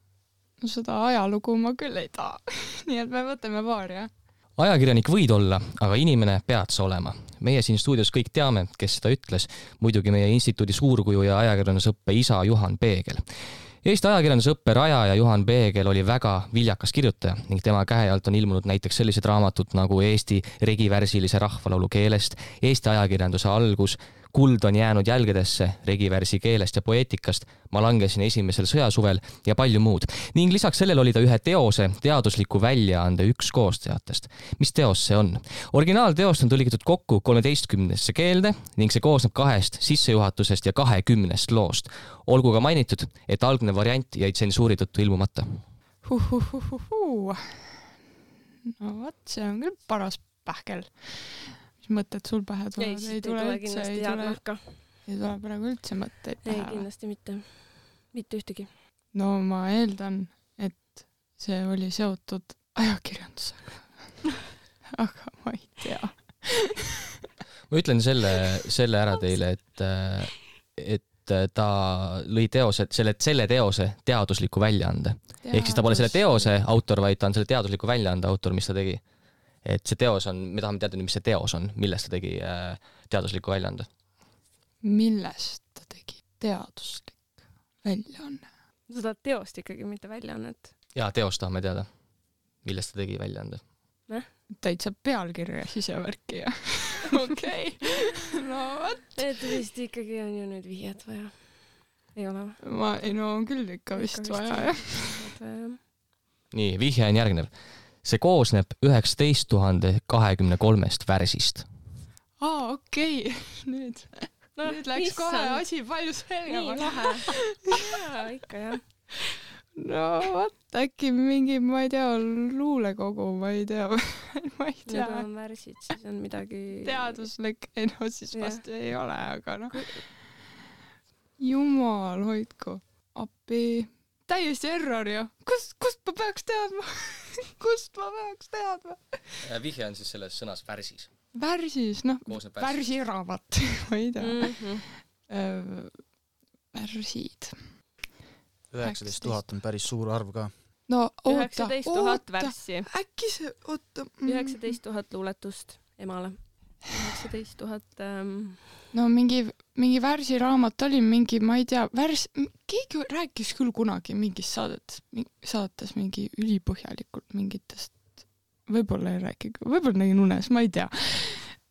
F: No seda ajalugu ma küll ei taha. Nii et me võtame vaaria.
C: Ajakirjanik võid olla, aga inimene pead sa olema. Meie siin stuudios kõik teame, kes seda ütles, muidugi meie instituudi suurkuju ja ajakirjandusõppe isa Juhan Peegel. Eesti ajakirjandusõppe rajaja Juhan Peegel oli väga viljakas kirjutaja ning tema käe alt on ilmunud näiteks sellised raamatud nagu Eesti regivärsilise rahvalaulu keelest, Eesti ajakirjanduse algus, Kuld on jäänud jälgedesse regivärsi keelest ja poeetikast, Ma langesin esimesel sõjasuvel ja palju muud. Ning lisaks sellel oli ta ühe teose teadusliku väljaande üks koostajatest. Mis teos see on? Originaalteost on tõlgitud kokku 13 keelde ning see koosneb 2 sissejuhatusest ja 20 loost. Olgu ka mainitud, et algne variant jäi tsensuuri tõttu ilmumata.
F: No vot, see on küll paras pähkel. Mis mõtted sul pähe tulevad?
B: Ei tule kindlasti head nahka.
F: Ei tule praegu üldse mõtteid pähe.
B: Ei, kindlasti mitte. Mitte ühtegi.
F: No ma eeldan, et see oli seotud ajakirjandusega. Aga ma ei tea.
C: Ma ütlen selle ära teile, et ta lõi teose, selle teose teadusliku väljaande. Ehk siis ta pole selle teose autor, vaid ta on selle teadusliku väljaande autor, mis ta tegi. Et see teos on, me tahame teada, mis see teos on, millest ta tegi teadusliku väljaande.
F: Millest ta tegi teaduslik väljaanne?
B: Seda teost ikkagi, mitte väljaannet.
C: Jaa, teost tahame teada, millest ta tegi väljaande.
F: Täitsa pealkirja sisevärki ja okei. No võt.
B: Et vist ikkagi on ju nüüd vihjed vaja. Ei ole või?
F: No on küll ikka vist vaja, jah.
C: Nii, vihje on järgnev. See koosneb 19 023 värsist.
F: Okei. Nüüd läks kohe asi palju selgemaks.
B: Nii lahe. Jaa, ikka jah.
F: No võt, äkki mingi, ma ei tea, luulekogu, ma ei tea.
B: Need on värsid, siis on midagi...
F: Teaduslik, no siis vast ei ole, aga noh. Jumal, hoidku. Appi. Täiesti error ju. Kust ma peaks teadma? Kust ma peaks teadma?
C: Vihje on siis selles sõnas värsis.
F: Värsis, noh, värsiraamat, ma ei tea. Värsid.
D: 19 000 on päris suur arv ka.
F: No oota,
B: 19 000 värssi.
F: Äkki see, oota.
B: 19 000 luuletust emale. 19 000...
F: No mingi värsiraamat oli mingi, ma ei tea, keegi rääkis küll kunagi mingis saates mingi ülipõhjalikult mingitest, võib-olla ei rääki, võib-olla nägin unes, ma ei tea.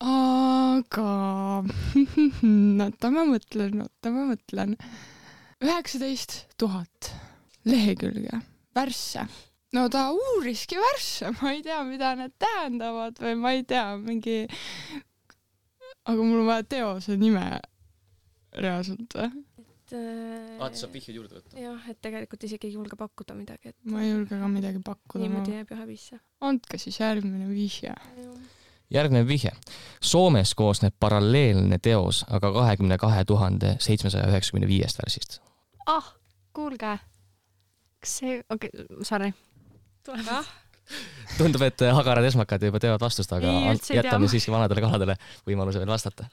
F: Aga ma mõtlen. 19 000 lehekülge, värsse. No ta uuriski värsse, ma ei tea, mida need tähendavad või ma ei tea, mingi... Aga mul on vaja teose nime reaalselt või?
C: Ta saab vihjud juurde võtta.
B: Jah, et tegelikult isegi ei julge pakkuda midagi. Et...
F: Ma ei julge ka midagi pakkuda.
B: Niimoodi jääb ühe vihje.
F: Andke siis järgmine vihje.
C: Järgnev vihje. Soomes koosneb paralleelne teos, aga 22 795 värsist.
G: Kuulge. Kas see... Okei, sorry.
B: Tuleb.
C: Tundub, et agarad esmakad juba teevad vastust, aga jätame siiski vanadele kaladele võimaluse veel vastata.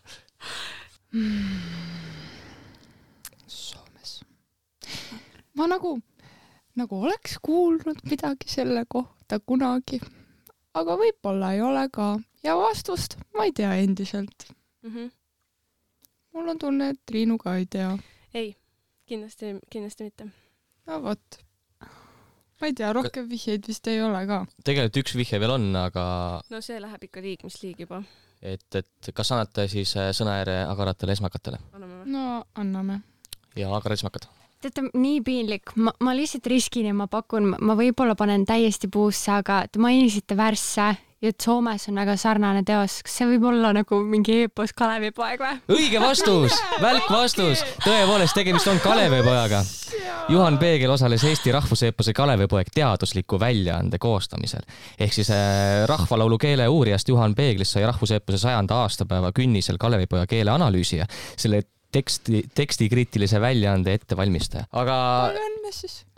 F: Soomes. ma nagu oleks kuulnud midagi selle kohta kunagi, aga võib-olla ei ole ka. Ja vastust ma ei tea endiselt. Mul on tunne, et Triinu ka ei tea.
B: Ei, kindlasti mitte.
F: No vot. Ma ei tea, rohkem vihjeid vist ei ole ka.
C: Tegelikult üks vihje veel on, aga...
B: No see läheb ikka liig, mis liig juba.
C: Et kas annate siis sõnaääre agaratele esmakatele?
B: Anname.
F: No, anname.
C: Ja agar esmakad.
G: Teate, nii piinlik. Ma lihtsalt riskin ja ma pakun, ma võib-olla panen täiesti puusse, aga te mainisite Värsse ja et Soomes on väga sarnane teos. Kas see võib olla nagu mingi eepos Kalevipoeg või?
C: Õige vastus! Välk vastus! Tõepoolest, tegemist on Kalevipojaga. Juhan Peegel osales Eesti rahvuseepose Kalevipoeg teadusliku väljaande koostamisel. Ehk siis rahvalaulu keele uurijast Juhan Peeglist sai rahvuseepose 100. aastapäeva künnisel Kalevipoja keele analüüsija. Selle tekstikriitilise väljaande ettevalmistaja. Aga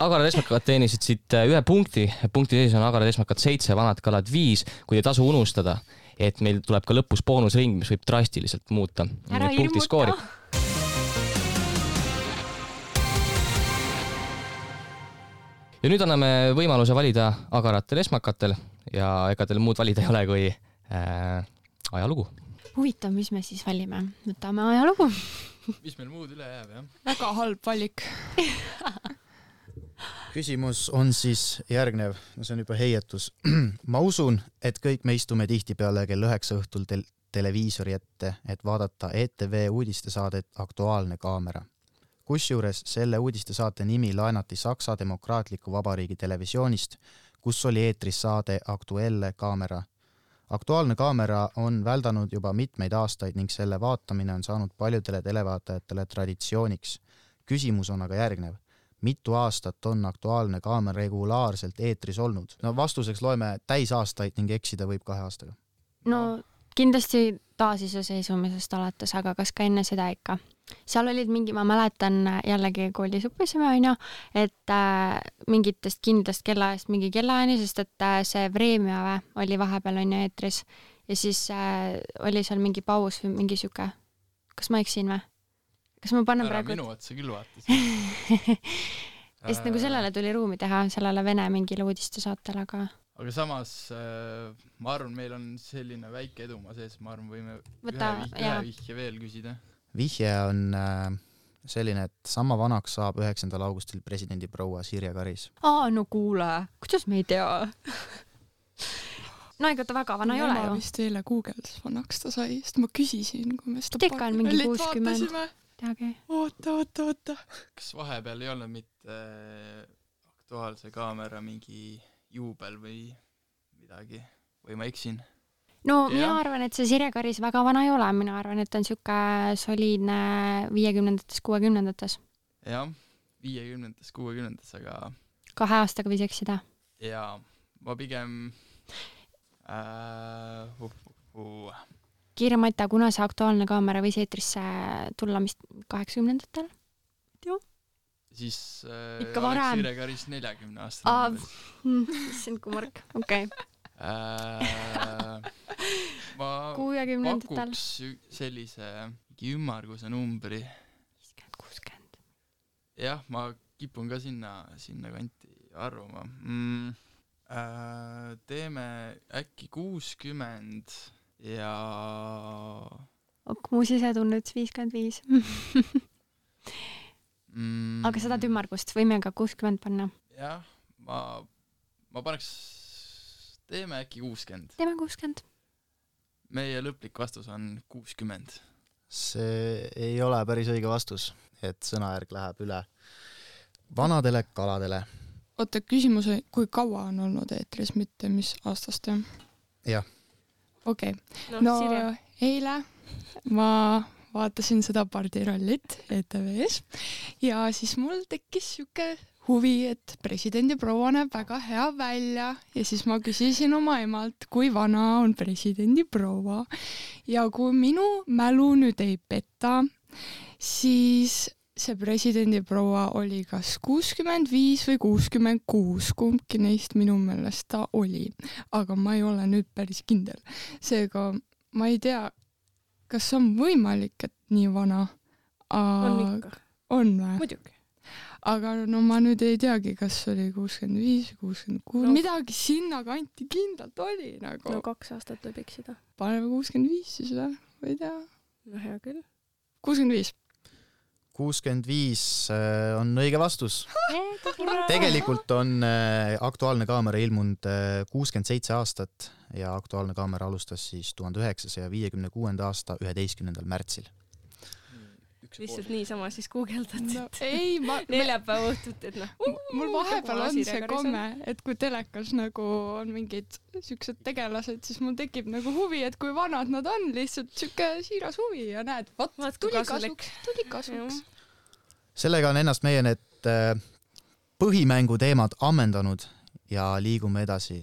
C: agarad esmakad teenisid siit 1 punkti. Punkti sees on agarad esmakad 7, vanad kalad 5. Kui ei tasu unustada, et meil tuleb ka lõpus boonusring, mis võib drastiliselt muuta.
G: Ära ilmuta!
C: Ja nüüd anname võimaluse valida agaratel esmakatel ja ega teil muud valida ei ole kui ajalugu.
G: Huvitav, mis me siis valime? Võtame ajalugu.
E: Mis meil muud üle jääb, jah?
F: Väga halb valik.
D: Küsimus on siis järgnev, no see on juba heietus. Ma usun, et kõik me istume tihtipeale kell 9 õhtul televiisori ette, et vaadata ETV uudistesaadet Aktuaalne kaamera. Kusjuures selle uudistesaate nimi laenati Saksa Demokraatliku Vabariigi televisioonist, kus oli eetris saade Aktuelle kaamera. Aktuaalne kaamera on väldanud juba mitmeid aastaid ning selle vaatamine on saanud paljudele televaatajatele traditsiooniks. Küsimus on aga järgnev. Mitu aastat on Aktuaalne kaamera regulaarselt eetris olnud? No vastuseks loeme täisaastaid ning eksida võib 2 aastaga.
G: No kindlasti taasiseseisvumisest alates, aga kas ka enne seda ikka? Seal olid mingi, ma mäletan jällegi koolisuppisime on ju, et mingitest kindlast kellaajast mingi kellaajani, sest et see Vremjave oli vahepeal on ju eetris ja siis oli seal mingi paus või mingi siuke. Kas ma eksin või? Kas ma panen praegu?
E: Minu otsa küll vaatasin.
G: Sest nagu sellele tuli ruumi teha, sellele Vene mingile uudistesaatele, aga
E: samas ma arvan, meil on selline väike edumaa sees, ma arvan, võime ühe vihje veel küsida.
D: Vihje on selline, et sama vanaks saab 9. augustil presidendi proua Sirje Karis.
G: No kuule, kuidas me ei tea? No ega ta väga vana ei ole ju.
F: Ma vist eile Google'das vanaks ta sai, sest ma küsisin, kui me seda
G: Teka on mingi 60. Teagi.
F: Oota.
E: Kas vahepeal ei olnud mitte Aktuaalse kaamera mingi juubel või midagi? Või ma eksin?
G: No mina arvan, et see Sirje Karis väga vana ei ole. Mina arvan, et on siuke soliidne 50-ndates, 60-ndates.
E: Jah, 50-ndates, 60-ndates, aga
G: 2 aastaga võis eksida.
E: Ja ma pigem
G: Kiire Mata, kuna see Aktuaalne kaamera võis eetrisse tulla mis 80-ndatel? Joo.
E: Siis
G: ikka varem.
E: Sirje Karis 40 aastat.
G: See on kummark, okei.
E: Ma pakuks sellise ümmarguse numbri
G: 50-60.
E: Jah, ma kipun ka sinna kanti arvama. Teeme äkki 60 ja
G: mu sisetunne ütles 55. Aga seda ümmargust võime ka 60 panna.
E: Jah, ma paneks teeme äkki 60.
G: Teeme 60.
E: Meie lõplik vastus on 60.
D: See ei ole päris õige vastus, et sõnajärg läheb üle vanadele kaladele.
F: Oota, küsimus oli, kui kaua on olnud eetris, mitte mis aastast, jah?
D: Jah.
F: Okei. No eile ma vaatasin seda pardirallit ETV-s ja siis mul tekkis siuke huvi, et presidendi proua näeb väga hea välja ja siis ma küsisin oma emalt, kui vana on presidendi proua ja kui minu mälu nüüd ei peta, siis see presidendi proua oli kas 65 või 66, kumbki neist minu meelest ta oli, aga ma ei ole nüüd päris kindel. Seega ma ei tea, kas on võimalik, et nii vana?
B: On ikka.
F: On või?
B: Muidugi.
F: aga no ma nüüd ei teagi, kas oli 65, 66, midagi sinna kanti kindlalt oli nagu.
B: No 2 aastat võib eksida.
F: Paneme 65 siis või ei tea.
B: No hea küll.
F: 65.
D: 65 on õige vastus. Tegelikult on Aktuaalne kaamera ilmunud 67 aastat ja Aktuaalne kaamera alustas siis 1956. aasta 11. märtsil.
B: Lihtsalt niisama siis guugeldad, et
F: ei,
B: neljapäeva õhtut, et
F: mul vahepeal on see komme, et kui telekas nagu on mingid siuksed tegelased, siis mul tekib nagu huvi, et kui vanad nad on, lihtsalt siuke siiras huvi ja näed, tuli kasuks.
D: Sellega on ennast meie need põhimängu teemad ammendanud ja liigume edasi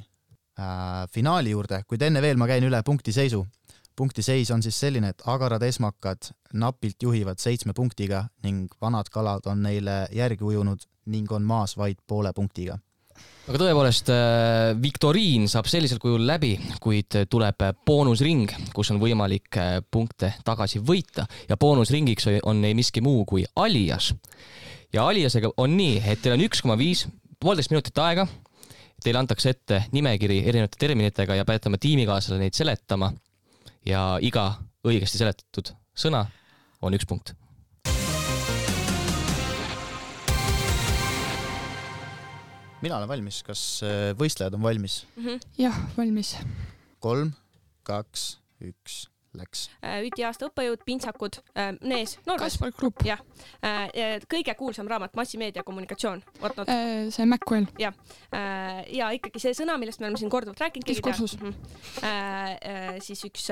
D: finaali juurde, kuid enne veel ma käin üle punktiseisu. Punktiseis on siis selline, et agarad esmakad napilt juhivad 7 punktiga ning vanad kalad on neile järgi ujunud ning on maas vaid poole punktiga.
C: Aga tõepoolest, viktoriin saab sellisel kujul läbi, kuid tuleb boonusring, kus on võimalik punkte tagasi võita ja boonusringiks on ei miski muu kui alias. Ja aliasega on nii, et teil on 1,5 minutit aega, teile antakse ette nimekiri erinevate terminitega ja peate oma tiimikaaslasele neid seletama. Ja iga õigesti seletatud sõna on 1 punkt.
D: Mina olen valmis. Kas võistlejad on valmis?
F: Jah, valmis.
D: 3, 2, 1, läks.
B: Üti aasta õppejõud, pintsakud, Nees, Norras.
F: Kaspar Grupp.
B: Jah. Kõige kuulsam raamat, massimeedia kommunikatsioon.
F: See Macwell.
B: Ja ikkagi see sõna, millest me oleme siin korduvalt rääkinud.
F: Diskursus.
B: Siis üks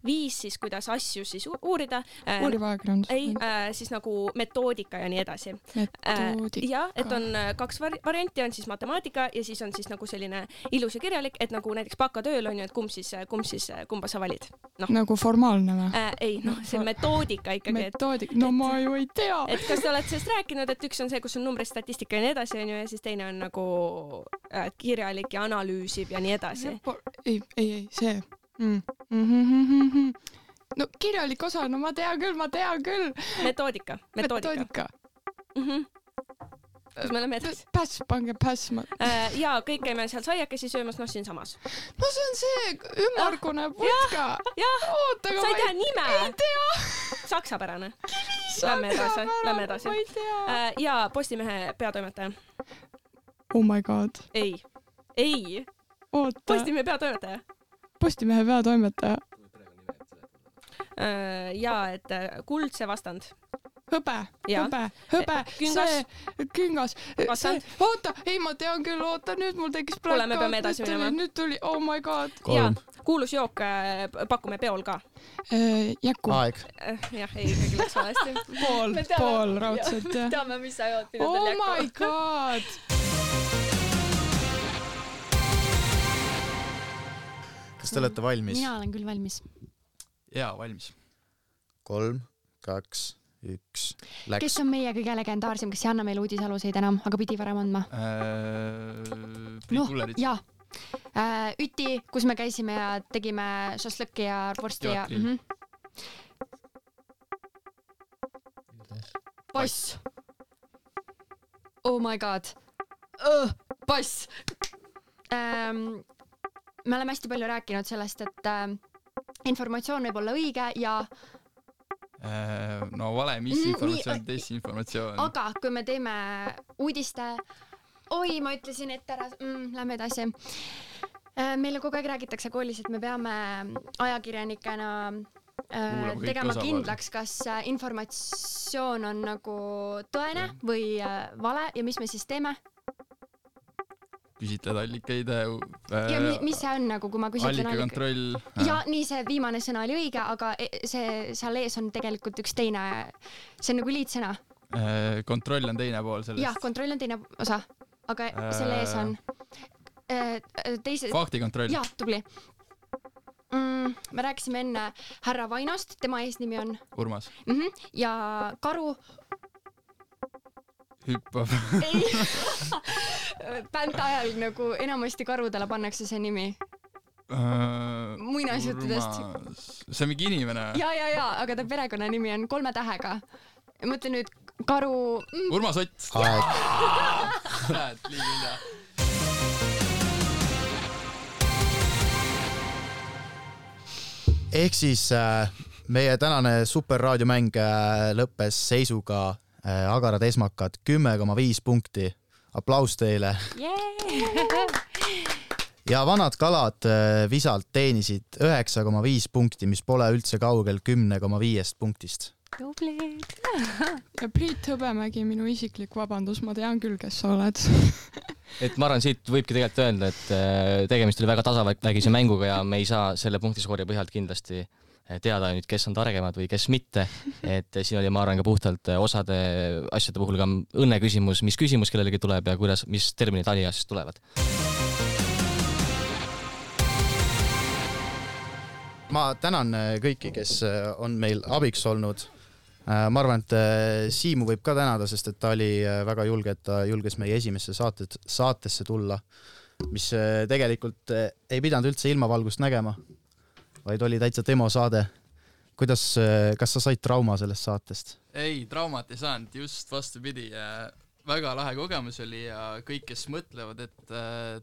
B: 5, siis kuidas asju siis uurida.
F: Uuriva ajakirjandus.
B: Ei, siis nagu metoodika ja nii edasi.
F: Metoodika.
B: Ja, et on 2 varianti, on siis matemaatika ja siis on siis nagu selline ilus ja kirjalik, et nagu näiteks bakatööl on ju, et kumba sa valid.
F: Nagu formaalne või?
B: Ei, see metoodika ikkagi.
F: Metoodika, no ma ju ei tea.
B: Et kas te olete sellest rääkinud, et üks on see, kus on numbrid, statistika ja nii edasi, on ju, ja siis teine on nagu kirjalik ja analüüsib ja nii edasi.
F: Ei, see. No kirjalik osa, no ma tean küll.
B: Metoodika. Kus me oleme edasi?
F: Pange päss.
B: Ja kõik käime seal saiakesi söömas, siin samas.
F: No see on see ümmargune putka.
B: Jah, sa ei tea nime.
F: Ei tea.
B: Saksapärane. Lämme edasi. Ja Postimehe peatoimetaja.
F: Oh my god.
B: Ei.
F: Oota.
B: Postimehe peatoimetaja.
F: Postimehe peatoimetaja.
B: Ja, et kuldse vastand.
F: Hõbe. Küngas. Oota, ei ma tean küll, nüüd mul tekkis
B: kuule, me peame edasi minema.
F: Nüüd tuli, oh my god.
B: Ja, kuulus jook pakume peol ka.
F: Jäkku.
D: Aeg.
B: Jah, ei, ikkagi läks valesti.
F: Pool raudselt, jah.
B: Teame, mis sa jood.
F: Oh my god.
D: Kas te olete valmis?
G: Mina olen küll valmis.
E: Jaa, valmis.
D: 3, 2, 1, läks.
G: Kes on meie kõige legendaarsem, kes ei anna meile uudisaluseid enam, aga pidi varem andma?
E: Priit Kullerit.
G: Jaa. Üti, kus me käisime ja tegime šašlõkki ja vorsti ja... Pass. Oh my god. Pass. Me oleme hästi palju rääkinud sellest, et informatsioon võib olla õige ja
E: no vale, mis informatsioon, desinformatsioon.
G: Aga kui me teeme uudiste, ma ütlesin, et ära, lähme edasi. Meile kogu aeg räägitakse koolis, et me peame ajakirjanikena tegema kindlaks, kas informatsioon on nagu tõene või vale ja mis me siis teeme?
E: Küsitled allikaid.
G: Ja mis see on nagu, kui ma küsitlen
E: allikakontroll.
G: Ja nii see viimane sõna oli õige, aga see seal ees on tegelikult üks teine, see on nagu liitsõna.
E: Kontroll on teine pool sellest.
G: Jah, kontroll on teine osa, aga selle ees on teise...
E: Faktikontroll.
G: Jah, tubli. Me rääkisime enne härra Vainost, tema eesnimi on...
E: Urmas.
G: Ja Karu...
E: Hüppab.
G: Bänd ajal nagu enamasti karudele pannakse see nimi. Muinasjuttudest.
E: See on mingi inimene.
G: Ja, aga ta perekonna nimi on 3 tähega. Mõtle nüüd
F: Karu.
E: Urmas Ott. Näed, liiga hilja.
D: Ehk siis meie tänane superraadiomäng lõppes seisuga Agarad esmakad 10,5 punkti. Aplaus teile. Ja vanad kalad visalt teenisid 9,5 punkti, mis pole üldse kaugel 10,5 punktist.
G: Tublid.
F: Ja Priit Hõbemägi, minu isiklik vabandus, ma tean küll, kes sa oled.
C: Et ma arvan, siit võibki tegelikult öelda, et tegemist oli väga tasavägise mänguga ja me ei saa selle punktiskoori põhjalt kindlasti teada nüüd, kes on targemad või kes mitte. Et siin oli, ma arvan, ka puhtalt osade asjade puhul ka õnne küsimus, mis küsimus kellelegi tuleb ja kuidas, mis terminid aliasjast tulevad.
D: Ma tänan kõiki, kes on meil abiks olnud. Ma arvan, et Siimu võib ka tänada, sest et ta oli väga julge, et ta julges meie esimesse saatesse tulla, mis tegelikult ei pidanud üldse ilmavalgust nägema, vaid oli täitsa demo saade. Kas sa said trauma sellest saatest?
E: Ei, traumat ei saanud, just vastupidi. Väga lahe kogemus oli ja kõik, kes mõtlevad, et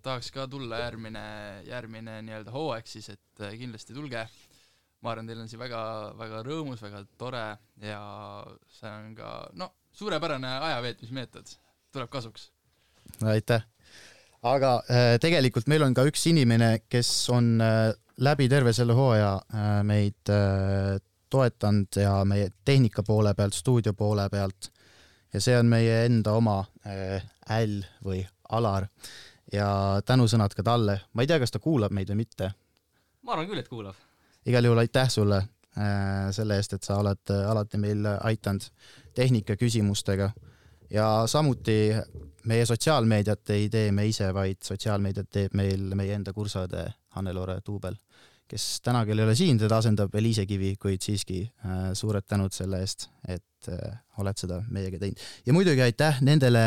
E: tahaks ka tulla järgmine nii-öelda hooaeg, siis et kindlasti tulge. Ma arvan, teil on siin väga, väga rõõmus, väga tore ja see on ka suurepärane ajaveetmismeetod. Tuleb kasuks.
D: Aitäh. Aga tegelikult meil on ka üks inimene, kes on läbi terve selle hooaja meid toetanud ja meie tehnika poole pealt, stuudio poole pealt. Ja see on meie enda oma Äll või Alar ja tänusõnad ka talle. Ma ei tea, kas ta kuulab meid või mitte.
C: Ma arvan küll, et kuulab.
D: Igal juhul aitäh sulle selle eest, et sa oled alati meil aitanud tehnika küsimustega ja samuti meie sotsiaalmeediat ei tee me ise, vaid sotsiaalmeediat teeb meil meie enda kursaõde Hannelore Tuubel, kes täna küll ei ole siin, teda asendab Eliise Kivi, kuid siiski suured tänud selle eest, et oled seda meiega teinud. Ja muidugi aitäh nendele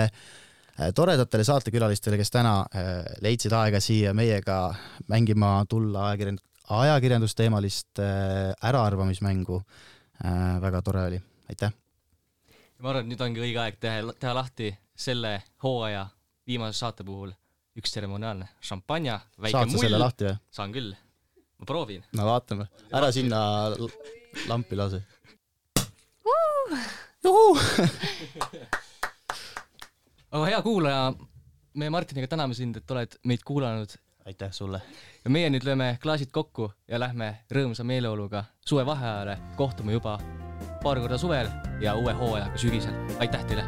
D: toredatele saatekülalistele, kes täna leidsid aega siia meiega mängima tulla ajakirjandusteemalist äraarvamismängu. Väga tore oli. Aitäh!
C: Ma arvan, et nüüd ongi õige aeg teha lahti selle hooaja viimase saate puhul üks tseremoniaalne šampanja, väike
D: Saad sa selle lahti või?
C: Saan küll. Ma proovin.
D: No vaatame. Ära sinna lampi lase.
C: Aga hea kuulaja, me Martiniga täname sind, et oled meid kuulanud.
D: Aitäh sulle.
C: Ja meie nüüd lööme klaasid kokku ja lähme rõõmsa meeleoluga suve vaheajale. Kohtume juba paar korda suvel ja uue hooajaga sügisel. Aitäh teile!